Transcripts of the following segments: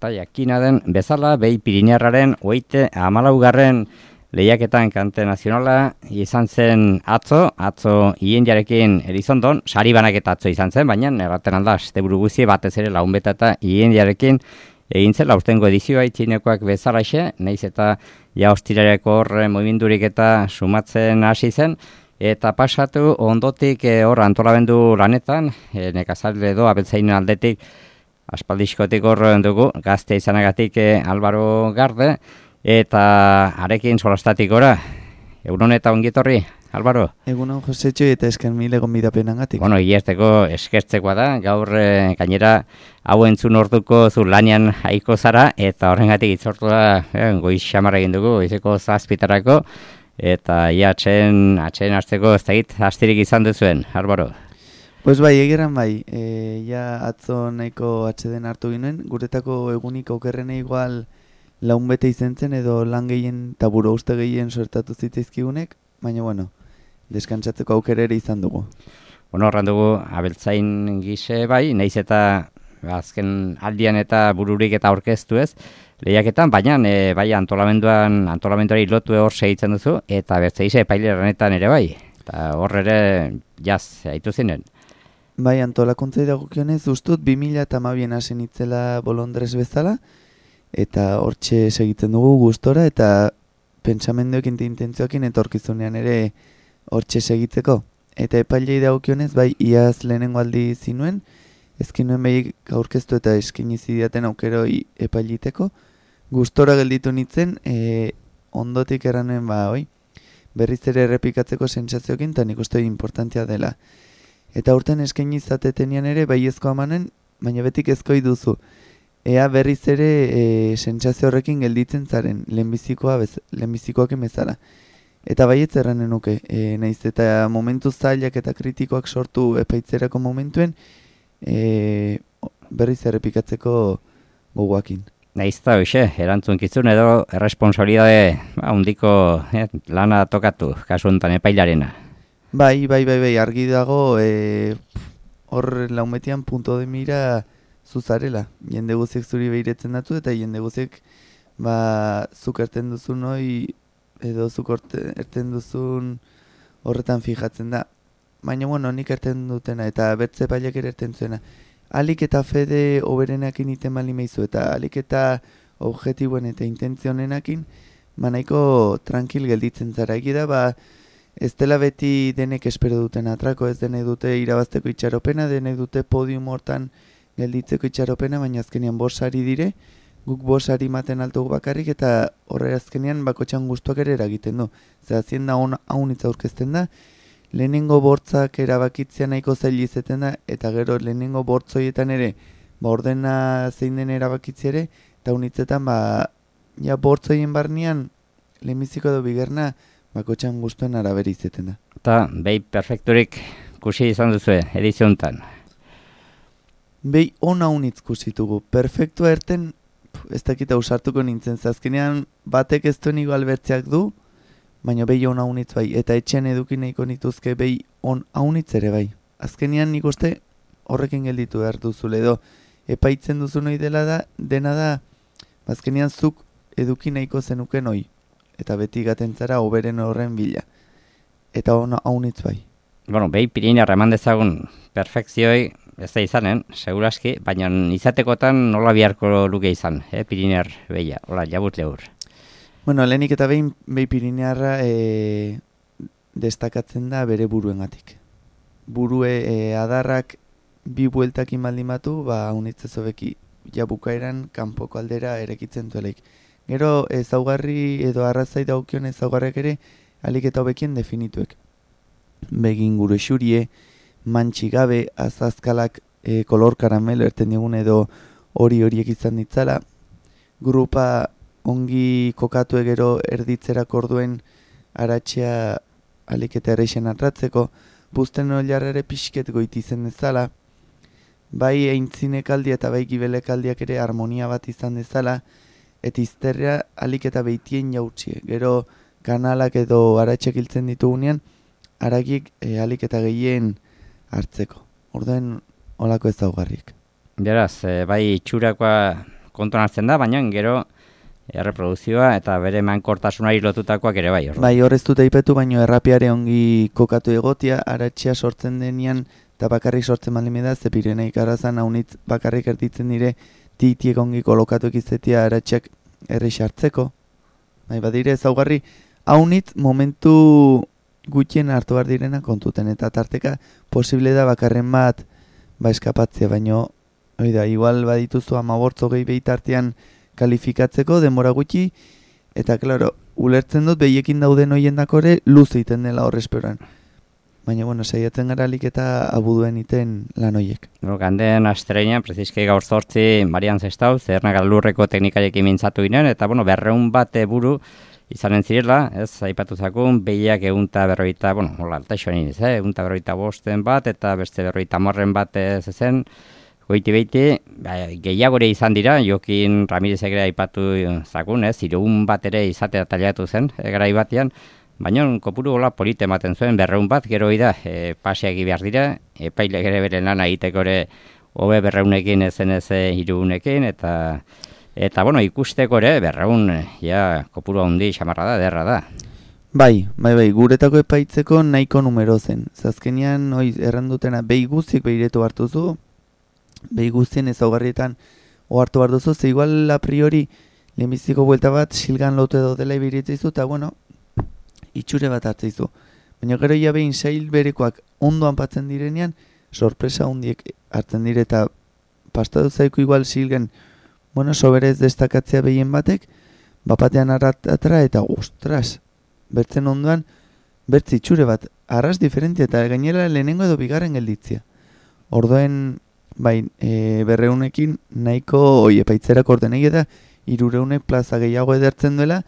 eta jakina den bezala behi Pirinearraren 34. lehiaketan kante nazionala izan zen atzo Iendiarekin Elizondon, sari banaketa atzo izan zen, baina erraten alda, asteburu guzi batez ere Launbeta eta Iendiarekin egin zen aurtengo edizioa itxinekoak bezalaxe, nahiz eta ja ostirareko hor mugimendurik eta sumatzen hasi zen, eta pasatu ondotik hor antolamendu lanetan, nekazalde edo abeltzainen aldetik, aspaldizkotik hor dugu, gazte izanagatik Álvaro Garde, eta arekin solastatik gora. Egunon eta ongietorri, Álvaro? Egunon Josetxo eta esken mil egon bidapenangatik. Bueno, hierteko eskertzekoa da, gaur gainera hau entzun orduko zu lanian haiko zara, eta horrengatik itzortu da goiz xamar egin dugu, goizeko 7:00, eta atxeen hartzeko ez dakit astirik izan duzuen, Álvaro? Pues bai, egeran bai, atzo nahiko atxeden hartu ginen, guretako egunik okerrene igual Launbete izen zen edo lan gehien eta buru uste gehien sortatu zitzaizkigunek, baina bueno, deskantzatzeko aukera ere izan dugu. Bueno, horren dugu abeltzain gise bai, nahiz eta azken aldian eta bururik eta aurkeztu ez, lehiaketan, baina bai antolamenduari lotu hor segitzen duzu, eta bertzeize epailerenetan ere bai, eta hor ere jaz, haitu zinen. Bai, antolakuntzai dagokionez ustut 2012an hasi nitzela Bolondres bezala, eta hortxe segitzen dugu gustora eta pentsamenduekin eta intentzioekin etorkizunean ere hortxe segitzeko. Eta epailei dagokionez, bai, iaz lehenengo aldi zinuen, ezkin nuen behi aurkeztu eta eskini zidaten aukeroi epailiteko. Gustora gelditu nintzen, ondotik erranuen berriz ere errepikatzeko sentsazioekin, eta nik uste importantea dela. Eta urten eskaini izatetenean ere, bai ezko amanen, baina betik ezkoi duzu. Ea berriz ere sentsazio horrekin gelditzen zaren, lehenbizikoak bezala. Eta baietz erranen nuke, nahiz eta momentu zailak eta kritikoak sortu epaitzerako momentuen, berriz errepikatzeko gogoakin. Nahiz eta hoxe, erantzunkizun edo erresponsabilidade handiko lana tokatu, kasu honetan epailarena. Bai, argi dago, hor Launbetian punto de mira zuzarela. Jende guziek zuri behiretzen datu eta jende guziek zuk erten duzun hoi edo zuk erten duzun horretan fijatzen da. Baina bueno, nik erten dutena eta bertze paiak ere erten zuena. Alik eta fede oberenakin iten bali meizu eta alik eta objetiboen eta intentzionenakin nahiko tranquil gelditzen zara. Egida ez dela beti denek espero duten atrako, ez denek dute irabazteko itxaropena, denek dute podium hortan gelditzeko itxaropena, baina azkenean 5 sari dire, guk 5 sari maten altugu bakarrik eta horre azkenean bakotxan gustuak ere eragiten du. Zer hazienda haunitza aurkezten da, lehenengo bortzak erabakitzea nahiko zail izeten da, eta gero lehenengo bortzoietan ere, ordena zein den erabakitzea ere, eta haunitzetan bortzoien barnean, lehenbiziko edo bigerna, bakotxan gustuen arabera izeten da. Eta behi perfekturik kusi izan duzu ediziontan. Behi ona unitz kusitugu. Perfektua erten, ez dakita usartuko nintzen. Azkenean batek ez duen igual bertzeak du, baina behi ona unitz bai. Eta etxean eduki nahiko nituzke behi on unitz ere bai. Azkenean nik uste horrekin gelditu behar duzule edo epaitzen duzu noi dena da, azkenean zuk eduki nahiko zenuken hoi. Eta beti gaten zara oberen horren bila. Eta ona unitz bai. Bueno, behi Pirinear eman dezagun perfekzioi, ez da izanen, seguraski, baina izatekotan nola biharko luke izan, Pirinear behia, hola, jabut lehur. Bueno, lehenik eta behi Pirinearra destakatzen da bere buruengatik. Burue adarrak 2 bueltakin baldin batu, unitzez hobeki jabukaeran kanpoko aldera erekitzen duelaik. Gero ezaugarri edo arrazai daukion ezaugarriak ere alik eta hobekien definituek. Begin gure xurie, mantxigabe, azazkalak kolor karamelo erten digun edo horiek izan ditzala. Grupa ongi kokatu egero erditzerak orduen aratxea alik eta erreixen atratzeko, buzten oliarrere pixket goiti zen dezala, bai eintzinekaldi eta bai gibelekaldiak ere harmonia bat izan dezala, eta izterra alik eta behitien jautxie. Gero kanalak edo aratxek hiltzen ditugunean, aragiek alik eta gehien hartzeko. Orduen olako ezaugarriek. Beraz, bai itxurakoa kontuan hartzen da, baina gero erreproduzioa eta bere mankortasunari lotutakoak ere bai. Bai, horrez dut aipetu, baino errapiare ongi kokatu egotia, aratxea sortzen denean, eta bakarrik sortzen malimeda, ze Pireneik arazan haunitz bakarrik erditzen dire, titiek ongi kolokatu ekizetia aratxeak errex hartzeko. Bai, badire ezaugarri, haunitz momentu gutxien hartu behar direna kontuten, eta tarteka posible da bakarren bat eskapatzea, baino, oida, igual badituzu 15-20 behitartean kalifikatzeko denbora gutxi, eta klaro, ulertzen dut behiekin dauden hoien dakore luz egiten dela horresperoan. Baina, bueno, saiatzen gara alik eta abuduen iten lan hoiek. Ganden astreinan, preziski gaur 8 Marian Zestau, Zernak Lurreko teknikarekin mintzatu ginen, eta, bueno, 200 bat buru izanen zirela, ez, aipatu zakun, behiak 150, bueno, hola, altaixoan iniz, 155 bat, eta beste 150 bat zen, goiti-beiti, gehiagore izan dira, Jokin Ramirezek ere aipatu zakun, 300 bat ere izatea taliatu zen, garai batean, baina kopuru hola polite ematen zuen, 200 bat, gero da, paseak behar dira, epailek ere beren lana egiteko ere, hobe 200ekin ezen ez 300ekin, eta bueno, ikusteko ere, 200, ja, kopuru handi xamarra da, derra da. Bai, guretako epaitzeko nahiko numero zen. Zazkenean, errandutena, behi guztiek behiretu hartuzu, behi guztien ezaugarrietan ohartu behar duzu, ze igual a priori lehenbiziko buelta bat silgan lotu edo dela ibiritzaizu, eta bueno, itxure bat hartzaizu. Baina gero ja behin sail berekoak ondoan patzen direnean, sorpresa hundiek hartzen dire, eta pastatu zaiku igual silgen, bueno, soberez destakatzea behien batek, bapatean arratatra, eta ostras, bertzen ondoan, bertzi itxure bat, arras diferentia, eta gainera lehenengo edo bigarren gelditzia. Ordoen, bai, 200ekin nahiko epaitzerako ordenei da 300 plaza gehiago edertzen duela,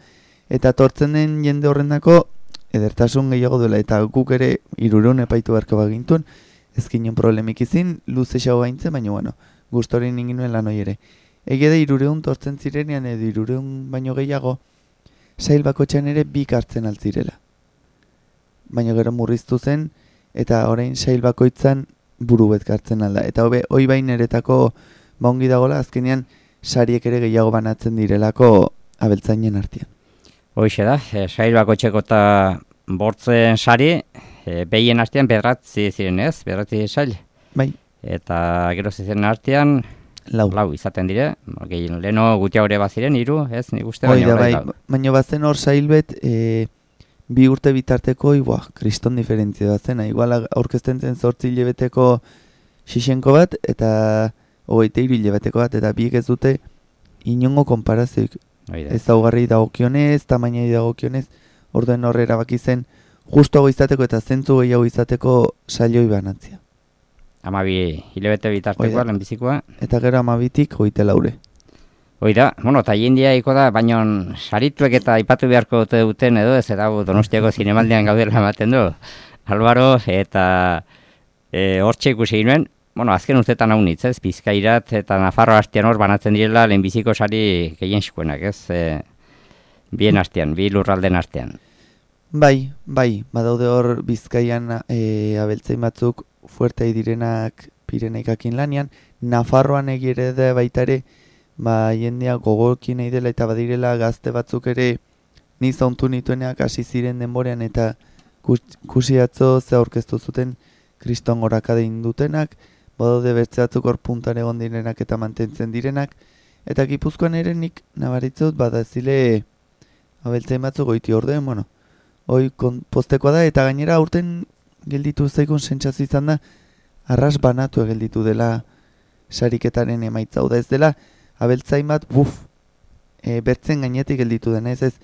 eta tortzen den jende horrendako edertasun gehiago duela, eta guk ere 300 epaitu beharko bagintuen, ezkinen problemik izin, luze xago gaintzen, baina bueno, gustorin inginuen lan hori ere. Ege da 300 tortzen zirenean edo 300 baino gehiago, sail bakotxean ere bik hartzen altzirela. Baina gero murriztu zen, eta orain sail bakoitzan buru betkartzen alda. Eta hoi bain eretako ongi dagola, azkenean sariek ere gehiago banatzen direlako abeltzainen artean. Hoixe da, sail bakotxeko eta bortzen sari, behien artean bedratzi ziren ez, bedratzi sail. Bai. Eta gero ziren artean, lau izaten dire, leheno gutiagore baziren, 3, ez, nik uste baina bai, baina bazen hor sail bet, 2 urte bitarteko, kriston diferentzia da zena, igual aurkezten zen 8 hilabeteko xixenko bat, eta 23 hilabeteko bat, eta biek ez dute inongo konparazioik. Ezaugarri dagokionez, tamainai dagokionez, orduen horre erabaki zen, justuago izateko eta zentzu gehiago izateko sailoi banatzia. 12 hilabete bitartekoa, lehenbizikoa. Eta gero 12tik 24. Oida, bueno, eta jendia iko da, baina sarituek eta aipatu beharko duten edo, ez dago Donostiako zinemaldian gaudela ematen du. Albaro, eta hortxe ikusi ginen, bueno, azken urtetan hau nitz, ez, Bizkairat eta Nafarroa hastian hor banatzen direla lehenbiziko sari gehien xikoenak, ez, bien hastian, bi lurralden hastian. Bai, badaude hor Bizkaian abeltzain batzuk fuertei direnak Pireneikakin lanian, Nafarroan egire da baita ere, jendea gogokin nahi dela eta badirela gazte batzuk ere niz ontu nituenak hasi ziren denborean eta kusi atzo ze aurkeztu zuten kriston gorakade indutenak, badaude bertze batzuk hor puntan egon direnak eta mantentzen direnak, eta Gipuzkoan ere nik nabaritzut badazile abeltzain batzuk goiti orde, bueno, hoi postekoa da eta gainera aurten gelditu zaikun sentsazio izan da, arras banatu gelditu dela sariketaren emaitza, da ez dela abeltzain bat, bertzen gainetik gelditu dena, ez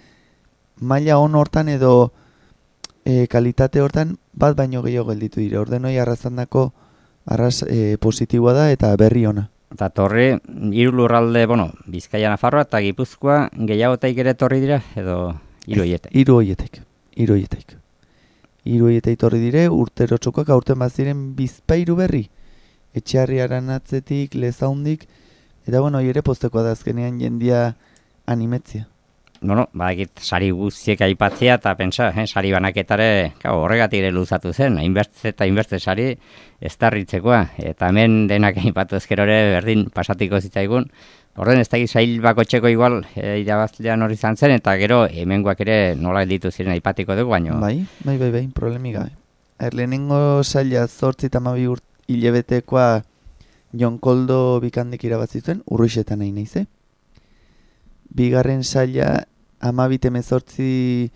maila on hortan edo kalitate hortan bat baino gehiago gelditu dire, ordenoi arrazandako arraz positiboa da eta berri ona. Eta torri, 3 lurralde, Bizkaia, Nafarroa eta Gipuzkoa gehiagotaik ere torri dira, edo 3 hoietek? 3 hoietek. 3 hoietek torri dire, urtero txokoak aurten baziren bizpairu berri. Etxearriaren atzetik, lezaundik, eta ere postekoa da azkenean jendia animetzia. Egit sari guztiek aipatzea eta pentsa, sari banaketare horregatik ere luzatu zen, hainbertze sari ez tarritzekoa. Eta hemen denak aipatu ezkerore berdin pasatiko zitzaigun, Horren ez da sail bakotxeko igual irabazlean hori izan zen, eta gero hemengoak ere nola ditu ziren aipatiko dugu, baino. Bai, problemik gabe. Lehenengo saila 8 eta 12 hilabetekoa Jon Koldo Bikandik irabazi zuen, Urruixetan nahi naize. Bigarren saila 12-18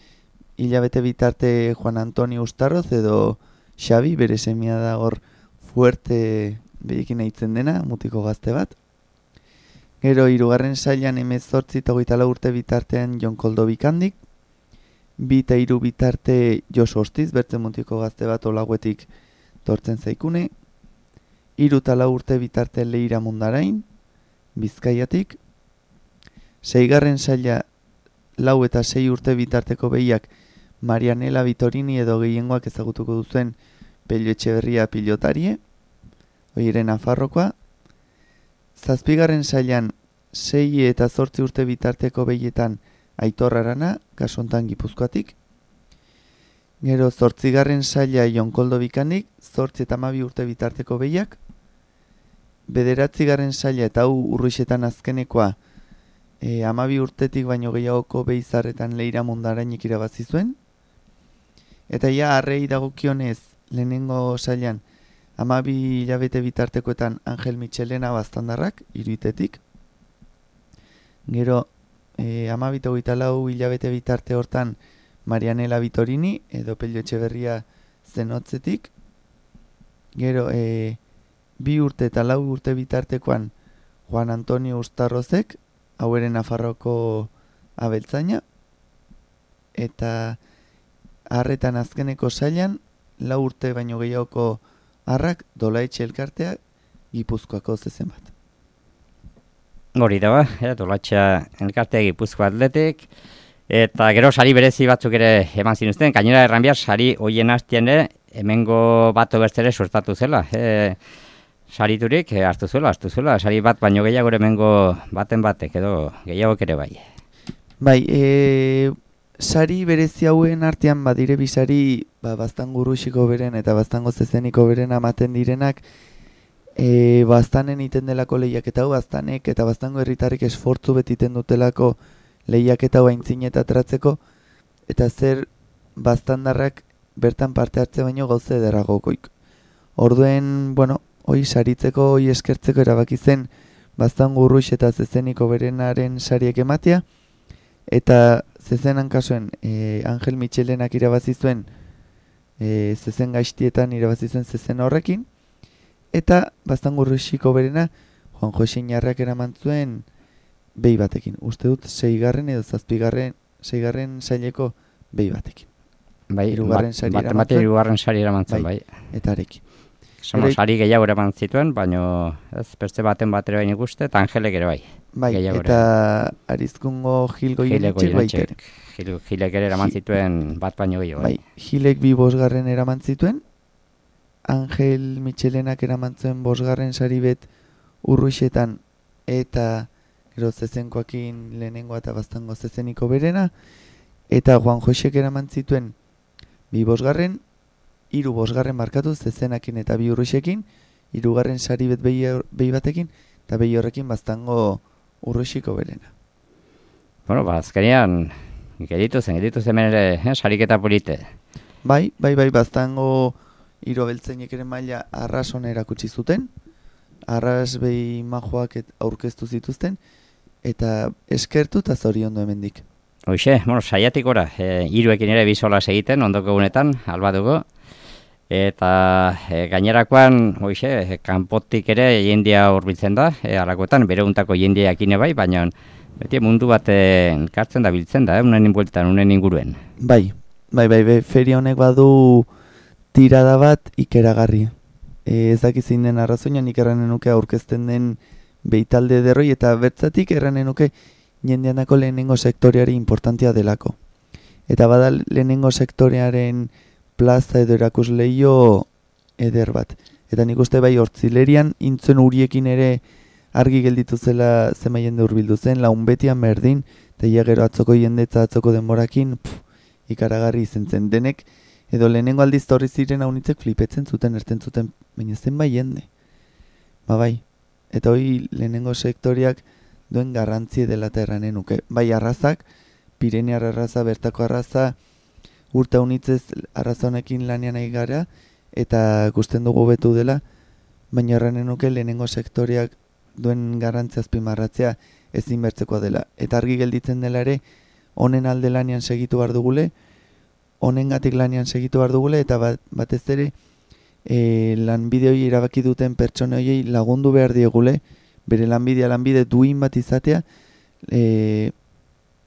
hilabete bitarte Juan Antonio Ustarroz edo Xabi, bere semia da hor fuerte behikin aitzen dena, mutiko gazte bat. Gero, hirugarren sailan 18 eta 24 urte bitartean Jon Koldo Bikandik, 2 eta 3 bitarte Josu Ostiz, bertzen mutiko gazte bat olaguetik tortzen zaikune, 3 eta 4 urte bitarte Leira Mundarain, Bizkaiatik, 6. saila 4 eta 6 urte bitarteko behiak Marianela Vitorini edo gehiengoak ezagutuko duzuen Pello Etxeberria pilotarie, oieren Nafarrokoa. 7. sailan 6 eta 8 urte bitarteko behietan Aitor Arana, kasontan Gipuzkoatik. Gero 8. saila Jon Koldo Bikandik, 8 eta 12 urte bitarteko behiak. 9. saila eta hau Urruixetan azkenekoa 12 urtetik baino gehiagoko behizarretan Leira Mundarainik irabazi zuen. Eta ja arrei dagokionez lehenengo sailan 12 hilabete bitartekoetan Angel Michelena baztandarrak, iruitetik. Gero 12 eta 24 hilabete bitarte hortan Marianela Vitorini edo Pello Etxeberria zenotzetik. Gero 2 urte eta 4 urte bitartekoan Juan Antonio Ustarrozek, haueren Nafarroko abeltzaina. Eta harretan azkeneko sailan 4 urte baino gehiagoko harrak Dolaetxe elkartea Gipuzkoako zezen bat. Hori da ba, Dolaetxea elkartea Gipuzko atletik, eta gero sari berezi batzuk ere eman zinuzten, gainera erran behar sari hoien hastian hemengo bato bertzere suertatu zela. Sariturik hartu zuela, sari bat baino gehiago hemengo baten batek edo gehiago ere bai. Bai, sari berezi hauen artean badire bisari Baztango Urruxiko beren eta Baztango Zezeniko beren amaten direnak Baztanen iten delako lehiaketa hau, Baztanek eta Baztango herritarrik esfortzu betiten dutelako lehiaketa hau aintzin eta tratzeko, eta zer Baztandarrak bertan parte hartze baino gauze ederragokoik. Orduen, hoi saritzeko, hoi eskertzeko erabaki zen Baztango Urrux eta Zezeniko berenaren sariek ematea, eta zezenan kasuen Angel Michelenak irabazi zuen zezen gaiztietan irabazi zuen zezen horrekin, eta Baztango Urruxiko berena Juan Jose Inarrak eraman zuen behi batekin. Uste dut 6. edo 6. saileko behi batekin. Bai, hirugarren sari eraman zuen, bai. Eta arekin. Sari gehiago eraman zituen, baino ez beste baten batera baino ikuste, eta Angelek ere bai. Bai, eta Arizkungo Gilgo Irenetxek baitere. Gilek ere eraman zituen bat baino gehiago. Bai, Gilek 2 bosgarren eraman zituen, Angel Michelenak eraman zuen 5. sari bet Urruixetan eta gero zezenkoakin lehenengoa eta Baztango Zezeniko berena, eta Juan Josek eraman zituen 2 bosgarren, 3 bosgarren markatu zezenakin eta 2 Urruixekin, 3. sari bet behi batekin, eta behi horrekin Baztango Urruixiko berena. Azkenean geditu zen hemen ere sariketa polite. Bai, Baztango hiru beltzainek ere maila arrasona erakutsi zuten, arras behi majoak aurkeztu zituzten, eta eskertu eta zoriondu hemendik. Hoxe, saiatik ora, hiruekin ere bizola egiten ondoko egunetan, alba dugu, eta gainerakoan, hoxe, kanpotik ere jendia hurbiltzen da, alakoetan, bere untako jendiak ine bai, baina beti mundu bat kartzen da biltzen da, unen inbueltan, unen inguruen. Bai, feria honek badu tirada bat ikeragarri. Ez dakizein den arrazoinan nik erranen nuke aurkezten den behitalde derroi, eta bertzatik erranen nuke jendeanako lehenengo sektoreari importantia delako. Eta bada lehenengo sektorearen plaza edo erakusleio eder bat. Eta nik uste bai Hortzilerian intzuen uriekin ere argi gelditu zela zema jende hurbildu zen, laun betian berdin, eta gero atzoko jendetza atzoko denborakin ikaragarri izen zen. Denek edo lehenengo aldiz torri ziren haunitzek flipetzen zuten, erten zuten, baina zen bai jende. Bai, eta hoi lehenengo sektoriak duen garrantzie dela eta erranen nuke. Bai arrazak, Pirenear arraza, bertako arraza, urta unitzez arraza honekin lanean nahi gara, eta gusten dugu betu dela, baina erranen nuke lehenengo sektoriak duen garrantzia azpimarratzea ezin bertzekoa dela. Eta argi gelditzen dela ere, honen alde lanean segitu behar dugule, honengatik lanean segitu behar dugule, eta batez ere, lanbide hori erabaki duten pertsone horiei lagundu behar diegule, bere lanbide duin bat izatea,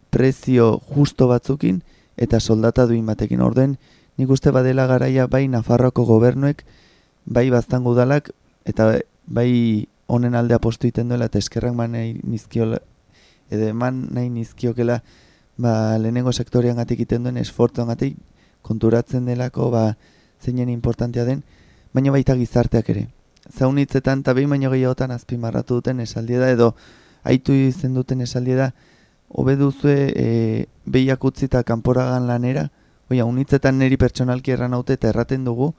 prezio justo batzukin, eta soldata duin batekin. Orduen, nik uste badela garaia bai Nafarroako gobernuek, bai Baztango udalak, eta bai honen alde apostu iten duela, eta eskerrak eman nahi nizkiokela, lehenengo sektorian gatik iten duen esfortzuan gatik, konturatzen delako, zeinen importantea den, baina baita gizarteak ere. Zaunitzetan eta behin baino gehiagotan azpimarratu duten esaldia da, edo aitu izen duten esaldia da, hobe duzue behiak utzi eta kanporagan lanera, unitzetan niri pertsonalki erran haute eta erraten dugu,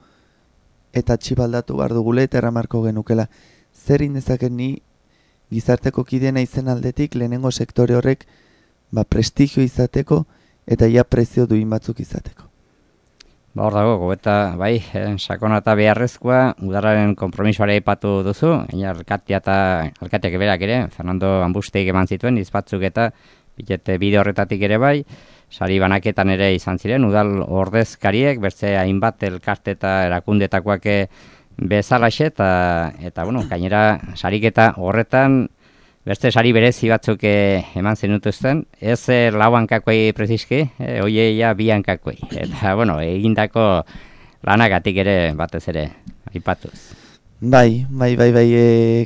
eta txipaldatu behar dugule eta erramarko genukela. Zer indezaken ni gizarteko kidena izen aldetik lehenengo sektore horrek prestigio izateko eta ia prezio duin batzuk izateko. Hor dago, gobeta, bai, sakona eta beharrezkoa, udararen konpromisoare aipatu duzu, alkateak berak ere, Fernando Ambusteik eman zituen, izbatzuk eta bitete bide horretatik ere bai, sari banaketan ere izan ziren, udal ordezkariek, bertze hainbat elkarte eta erakundetakoak bezalaxe, eta bueno, gainera sariketa horretan, beste sari berezi batzuk eman zenutuzten, ez lau hankakoi preziski, oieia bi hankakoi. Eta, bueno, egindako lanagatik ere batez ere, aipatuz. Bai,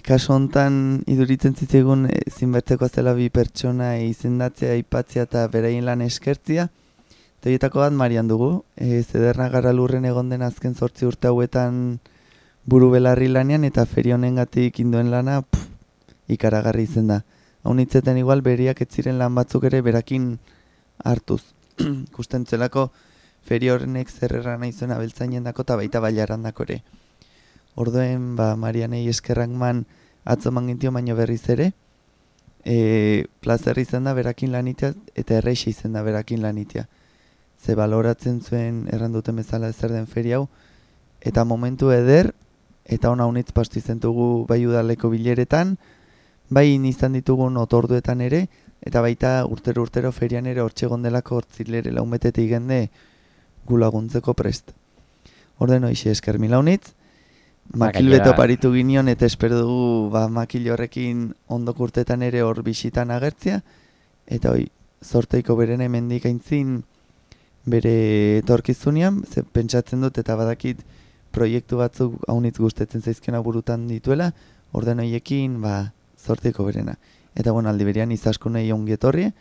kasu hontan iduritzen zitzegun zinbertzeko zela bi pertsona izendatzea, aipatzea eta beraien lan eskertzia. Horietako bat Marian dugu, Zederna gara lurren egon den azken 8 urte hauetan buru belarri lanean eta feri honengatik induen lana, ikaragarri izen da. Haunitzeten igual beriak ez ziren lan batzuk ere berakin hartuz. Kusten zelako feri horrenek zerrera nahi zuen abeltzainen dako eta baita bailaran dako ere. Orduen, Marianei eskerrak man atzoman gintio baino berriz ere, plazer izan da berakin lanitea eta erreixi izan da berakin lanitea. Ze baloratzen zuen erranduten bezala ezer den feri hau, eta momentu eder, eta ona unitz pastu izan dugu bai udaleko bileretan, bai izan ditugun otorduetan ere, eta baita urtero ferian ere hortxe gondelako hortzilere laumetetik gende gu laguntzeko prest. Orden hoixe esker mila unitz, makil beto paritu ginion eta espero dugu makil horrekin ondok urtetan ere hor bisitan agertzea, eta zorteiko beren hemendik aintzin bere etorkizunean, pentsatzen dut eta badakit proiektu batzuk haunitz gustetzen zaizkiona burutan dituela, orden horiekin zorteiko berena. Eta aldi berean izaskunei ongi etorri,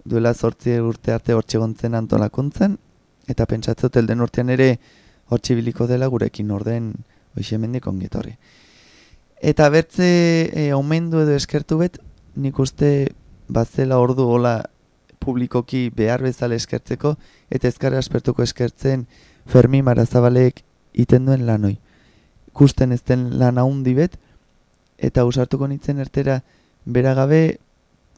duela 8 urte arte hortxe gontzen antolakuntzen, eta pentsatzot elden urtean ere hortxe biliko dela gurekin orden hoxe mendik ongi etorri. Eta bertze omendu edo eskertu bet, nik uste bazela ordu hola publikoki behar bezala eskertzeko, eta ezkara aspertuko eskertzen Fermi Marazabalek iten duen lanoi. Kusten ez den lan haundi bet, eta usartuko nintzen ertera beragabe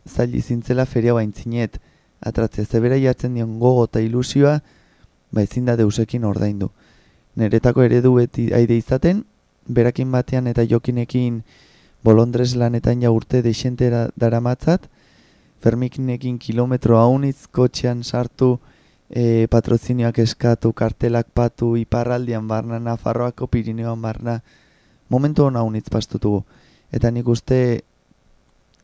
zaili zintzela feria baintzinet atratzea. Zebera jartzen dion gogo eta ilusioa, ezin da deusekin ordaindu. Neretako eredu beti aide izaten, berakin batean eta jokinekin bolondrez lanetan ja urte deixentera daramatzat, Fermikinekin kilometro haunitz kotxean sartu, patrozinioak eskatu, kartelak patu, iparraldian barna, Nafarroako Pirineoan barna, momentu hona haunitz pastutugu. Eta nik uste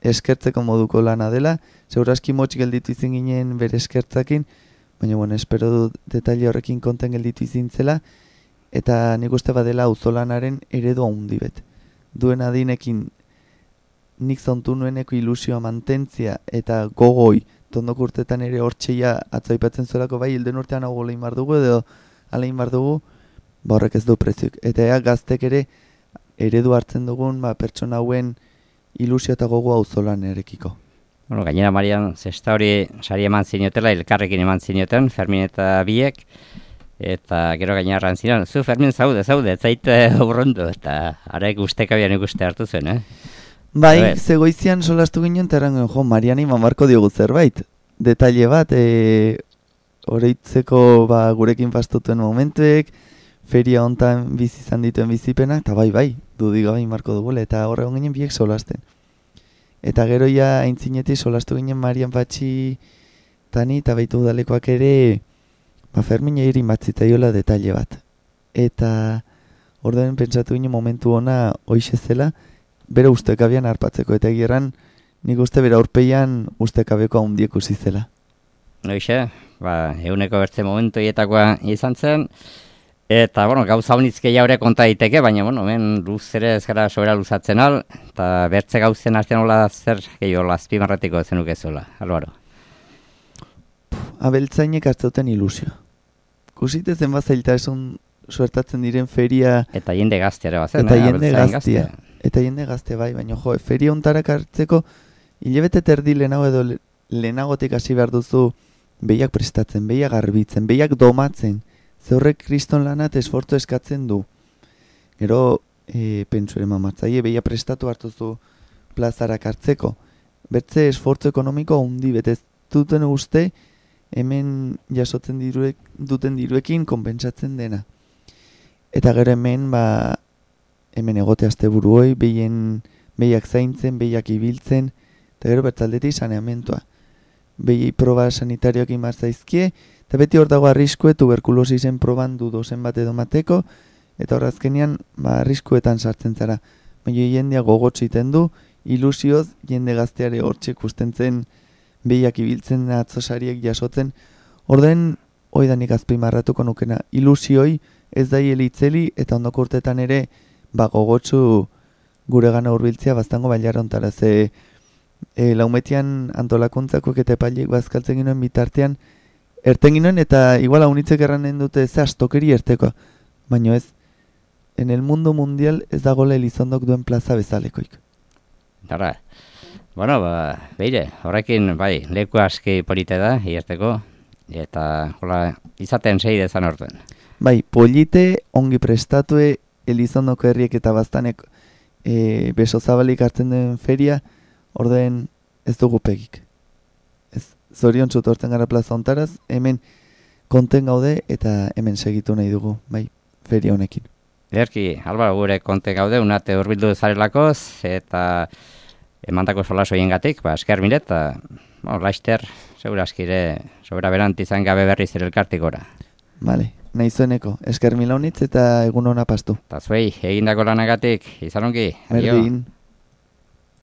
eskertzeko moduko lana dela, segurazki motx gelditu izin ginen bere eskertzakin, baina espero du detaile horrekin konten gelditu izin zela, eta nik uste badela auzolanaren eredu handi bet. Duen adinekin nik zontu nueneko ilusioa mantentzia eta gogoi, tondok urtetan ere hortxeia atzoipatzen zuelako bai, hilden urtean hau golein bar dugu edo alein bar dugu, horrek ez du preziuk. Eta gaztek ere eredu hartzen dugun pertsona hauen ilusio eta gogoa auzolan erekiko. Gainera Marian, zesta hori sari eman zinotela, elkarrekin eman zinioten, Fermin eta biek, eta gero gainera rantzinan, zu Fermin zaude, ez zaite urrundu, eta arek ustekabian ikuste hartu zen, Bai, zegoizian solastu ginen, eta erangoen, jo, Mariani mamarko diogu zerbait. Detaile bat, oroitzeko gurekin pastutuen momentuek, feria hontan bizi izan dituen bizipenak, eta bai, dudik gabe marko dugule, eta horre ginen biek solasten. Eta gero ja aintzinetik solastu ginen Marian Patxi tani, eta baitu udalekoak ere, Fermin egin batzitzaiola detaile bat. Eta ordenen pentsatu ginen momentu ona hoixe zela, bere ustekabean harpatzeko, eta egirran nik uste bere aurpeian ustekabeko haundiek usi zela. Hoixe, eguneko bertze momentu hietakoa izan zen, eta, gauza honizke jaure konta daiteke, baina, hemen luz ere ez gara sobera luzatzen al, eta bertze gauzen artean hola zer gehiago azpimarratiko zenuke zuela, Albaro. Abeltzainek hartzauten ilusio. Kusite zenbat zailtasun suertatzen diren feria... Eta jende gaztea bazen, Eta jende gazte bai, baina feria ontarak hartzeko hilabete terdi lehenago edo lehenagotik hasi behar duzu behiak prestatzen, behiak garbitzen, behiak domatzen, ze horrek kriston lanat esfortzu eskatzen du. Gero, pentsu ere mamatzaie, behiak prestatu hartuzu plazarak hartzeko. Bertze esfortzu ekonomiko handi betez duten uste, hemen jasotzen duten diruekin konpentsatzen dena. Eta gero hemen, hemen egote asteburuoi, behiak zaintzen, behiak ibiltzen, eta gero bertzaldetik saneamentua. Behi proba sanitarioak imarzaizkie, eta beti hor dago arriskue tuberkulosisen proban dudozen bat edo mateko, eta hor azkenean arriskuetan sartzen zara. Baina jendea gogotziten du, ilusioz jende gazteare hortxe kustentzen behiak ibiltzen atzosariek jasotzen. Orden, oidanik azpimarratuko nukena, ilusioi ez da itzeli eta ondoko urtetan ere gogotsu gure gana hurbiltzea baztango bailara ontara. Ze laumetian antolakuntzako eta epaileek bazkaltzen ginoen bitartean erten ginoen eta igual haunitzek erranen dute ze astokeri erteko. Baina ez, en el mundo mundial ez dagoela Elizondok duen plaza bezalekoik. Dara, beire, horrekin, leku aski polite da, hierteko, eta izaten sei dezan orten. Polite, ongi prestatue, Elizondoko herriek eta baztanek beso zabalik hartzen den feria, orden ez dugu pegik. Zorion txutorten gara plaza ontaraz, hemen konten gaude eta hemen segitu nahi dugu, feria honekin. Ederki, Albaro, gure konten gaude, unate urbildu zarelakoz, eta emandako solaso hiengatik, esker mire, eta laister, segura askire, sobera berant izan gabe berriz ere elkartikora. Bale, nahi zueneko, esker mila honitz eta egun hona pastu. Eta zuei, egindako lanagatik, izan ongi. Berdin.